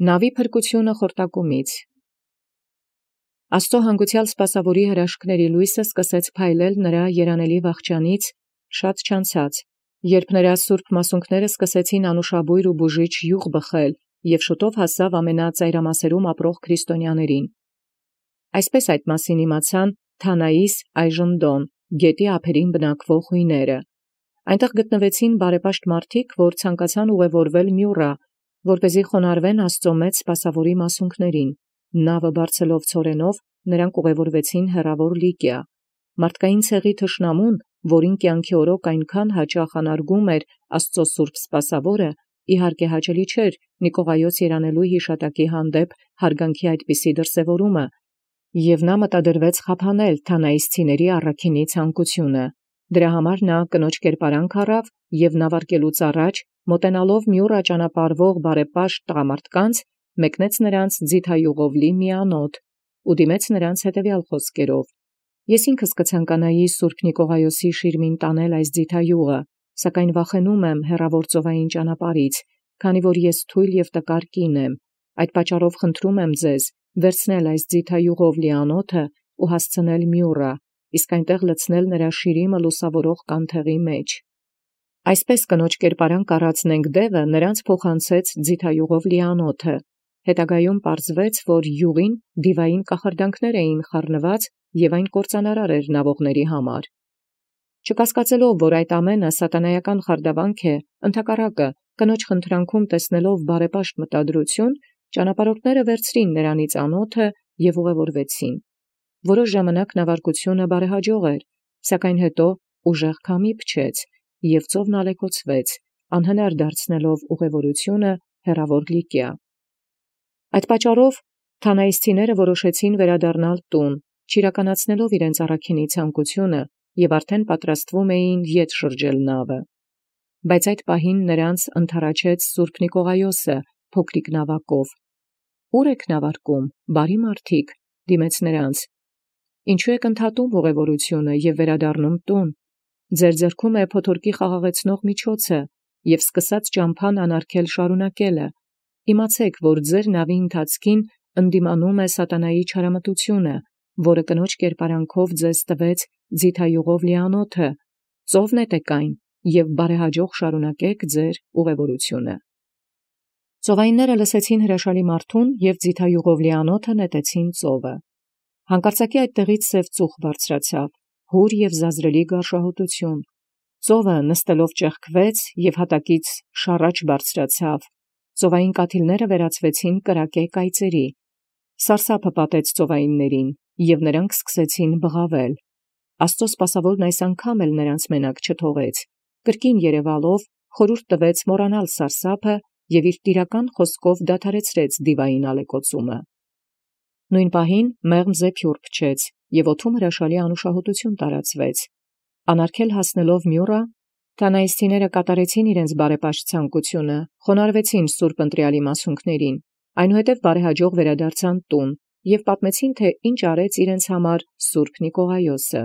Նավի փրկությունը խորտակումից։ Աստծո հանգուցեալ սպասաւորի հրաշքների լույսը սկսեց փայլել նրա երանելի վախճանից շատ չանցած, երբ նրա սուրբ մասունքները սկսեցին անուշաբույր ու բուժիչ յուղ բխել, և շուտով հասավ ամենածայրամասերում ապրող քրիստոնյաներին։ Այսպես այդ մասին իմացան Թանայիս այժմ Դոն, գետի ափերին բնակվող հույները։ Այնտեղ գտնվեցին բարեպաշտ մարդիկ, որ ցանկացան ուղևորվել Մյուռա, որպեսզի խոնարհվեն Աստծո մեծ սպասաւորի մասունքներին։ Նավը բարձելով ցորենով, նրանք ուղևորվեցին հեռավոր Լիկիա։ Մարդկային ցեղի թշնամուն, որին կյանքի օրոք այնքան հաճախ անարգում էր Աստծո սուրբ սպասաւորը, իհարկե հաճելի չէր Նիկողայոս երանելու յիշատակի հանդեպ հարգանքի այդպիսի դրսևորումը, և նա մտադրվեց խափանել թանայիսցիների առաքինի ցանկությունը։ Դրա համար նա կնոջ կերպարանք առավ և նավարկելուց առաջ, մոտենալով Մյուռա ճանապարհվող բարեպաշտ տղամարդկանց, մեկնեց նրանց ձիթայուղով լի մի անոթ, ու դիմեց նրանց հետևյալ խոսքերով. «Ես ինքս կցանկանայի սուրբ Նիկողայոսի շիրմին տանել այս ձիթայուղը, սակայն վախենում եմ հեռավոր ծովային ճանապարհից, քանի որ ես թույլ և տկար կին եմ. այդ պատճառով խնդրում եմ ձեզ վերցնել այս ձիթայուղով լի անոթը ու հասցնել Մյուռա, իսկ այնտեղ լցնել նրա շիրիմը լուսավորող կանթեղի մեջ»։ Այսպես կնոջ կերպարանք առած Նենգդեւը նրանց փոխանցեց ձիթայուղով լի անոթը։ Հետագայում պարզվեց, որ յուղին դիվային կախարդանքներ էին խառնված և այն կործանարար էր նավողների համար։ Չկասկածելով, որ այդ ամենը սատանայական խարդավանք է, ընդհակառակը կնոջ խնդրանքում տեսնելով բարեպաշտ մտադրություն, ճանապարհորդները վերցրին նրանից անոթը և ուղևորվեցին։ Որոշ ժամանակ նավարկությունը բարեհաջող էր, սակայն հետո ուժեղ քամի փչեց, և ծովն ալեկոծվեց, անհնար դարձնելով ուղևորությունը հեռավոր Լիկիա։ Այդ պատճառով թանայիսցիները որոշեցին վերադառնալ տուն, չիրականացնելով իրենց առաքինի ցանկությունը, և արդեն պատրաստվում էին ետ շրջել նավը։ Բայց այդ պահին նրանց ընդառաջեց սուրբ Նիկողայոսը փոքրիկ նավակով։ «Ո՞ւր եք նավարկում, բարի մարդիկ», դիմեց նրանց։ «Ինչու եք ընդհատում ուղևորությունը և վերադառնում տուն։ Ձեր ձեռքում է փոթորկի խաղաղեցնող միջոցը, և սկսած ճամփան անարգել շարունակելը։ Իմացեք, որ ձեր նավի ընթացքին ընդդիմանում է սատանայի չարամտությունը, որը կնոջ կերպարանքով ձեզ տվեց ձիթայուղով լի անոթը. ծով նետեք այն և բարեհաջող շարունակեք ձեր ուղևորությունը»։ Ծովայինները լսեցին հրաշալի մարդուն և ձիթայուղով լի անոթը նետեցին ծովը։ Հանկարծակի այդտեղից սև ծուխ բարձրացավ, հուր և զազրելի գարշահոտություն։ Ծովը նստելով ճեղքվեց և հատակից շառաչ բարձրացավ։ Ծովային կաթիլները վերածվեցին կրակե կայծերի։ Սարսափը պատեց ծովայիններին, և նրանք սկսեցին բղավել։ Աստծո սպասավորն այս անգամ էլ նրանց մենակ չթողեց։ Կրկին երևալով խորհուրդ տվեց մոռանալ սարսափը և իր տիրական խոսքով դադարեցրեց դիվային ալեկոծումը։ Նույն պահին մեղմ զեփյուռ փչեց, և օդում հրաշալի անուշահոտություն տարածվեց։ Անարգել հասնելով Մյուռա, թանայիսցիները կատարեցին իրենց բարեպաշտ ցանկությունը, խոնարհվեցին սուրբ ընտրյալի մասունքներին, այնուհետև բարեհաջող վերադարձան տուն և պատմեցին, թե ինչ արեց իրենց համար սուրբ Նիկողայոսը։